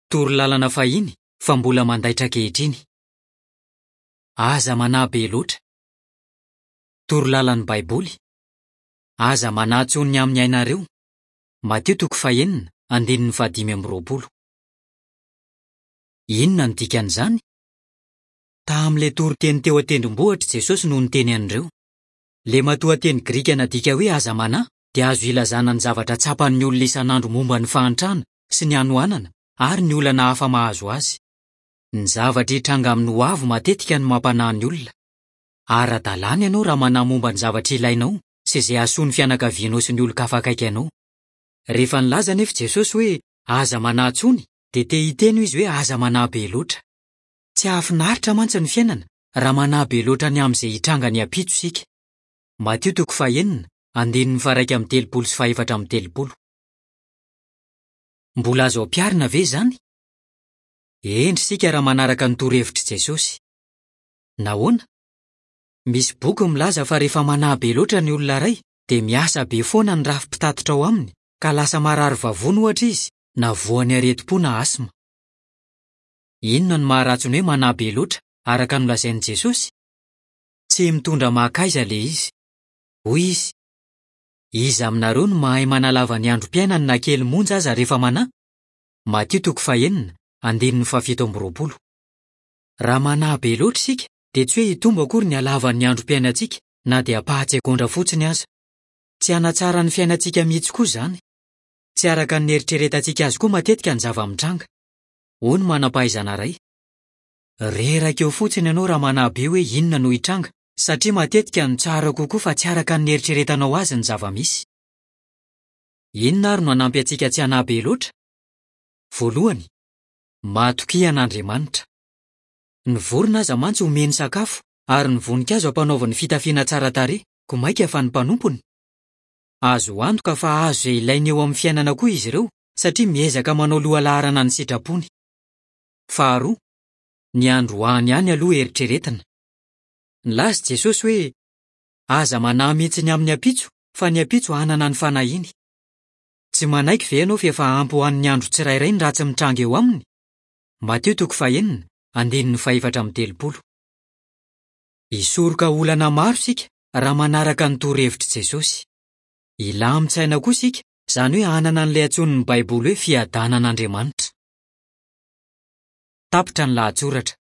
Toro lalana fahiny fa mbola mandaitra ankehitriny. Aza manahy be loatra. Toro lalan'ny Baiboly, Aza manahy intsony ny amin'ny ainareo. Matio toko fahenina, andininy fahadimy amby roapolo. Inona no dikan'izany? Tamin'ilay toriteny teo an-tendrombohitra Jesosy no niteny an'ireo. Ilay matoanteny grika nadika hoe aza manahy dia azo ilazana ny zavatra tsapan'ny olona isan'andro momba ny fahantrana sy ny hanoanana ary ny olana hafa mahazo azy. Ny zavatra hitranga amin'ny hoavy matetika no mampanahy ny olona. Ara-dalàna ianao raha manahy momba ny zavatra ilainao sy izay hahasoa ny fianakavianao sy ny olon-kafa akaiky anao. Rehefa nilaza anefa Jesosy hoe aza manahy intsony, dia te hiteny izy hoe aza manahy be loatra. Tsy hahafinaritra mantsy ny fiainana raha manahy be loatra ny amin'izay hitranga ny ampitso isika. Matio toko fahenina, andininy faha-31 sy faha-34. Mbola azo ampiharina ve izany? Hendry isika raha manaraka ny torohevitr'i Jesosy. Nahoana? Misy boky milaza fa rehefa manahy be loatra ny olona iray dia miasa be foana ny rafi-pitatitra ao aminy ka lasa marary vavony ohatra izy na voan'ny aretim-po na asma. Inona no maharatsy ny hoe manahy be loatra araka ny nolazain'i Jesosy? Tsy mitondra mankaiza ilay izy. Hoy izy, Iza aminareo no mahay manalava ny androm-piainany na kely monja aza rehefa manahy? Matio toko fahenina, andininy fahafito amby roapolo. Raha manahy be loatra isika dia tsy hoe hitombo akory ny halavan'ny androm-piainantsika na dia ampahan-tsegondra fotsiny aza. Tsy hanatsara ny fiainantsika mihitsy koa izany. Tsy araka ny nieritreretantsika azy koa matetika ny zava-mitranga. Hoy ny manam-pahaizana iray, Reraka eo fotsiny ianao raha manahy be hoe inona no hitranga, satria matetika no tsara kokoa fa tsy araka ny nieritreretanao azy ny zava-misy. Inona àry no hanampy antsika tsy hanahy be loatra? Voalohany, matokia an'Andriamanitra. Ny vorona aza mantsy omeny sakafo, ary ny voninkazo ampanaoviny fitafiana tsara tarehy, koa mainka fa ny mpanompony? Azo antoka fa hahazo izay ilainy eo amin'ny fiainana koa izy ireo, satria miezaka manao loha laharana ny sitrapony. Faharoa, ny androany ihany aloha eritreretina. Nilaza i Jesosy hoe, Aza manahy mihitsy ny amin'ny ampitso, fa ny ampitso hanana ny fanahiany. Tsy manaiky ve ianao fa efa ampy ho an'ny andro tsirairay ny ratsy mitranga eo aminy? Matio toko fahenina, andininy fahefatra amby telopolo. Hisoroka olana maro isika raha manaraka ny torohevitr'i Jesosy. Hilamin-tsaina koa isika, izany hoe hanana an'ilay antsoin'ny Baiboly hoe fiadanan'Andriamanitra. Tapitra ny lahatsoratra.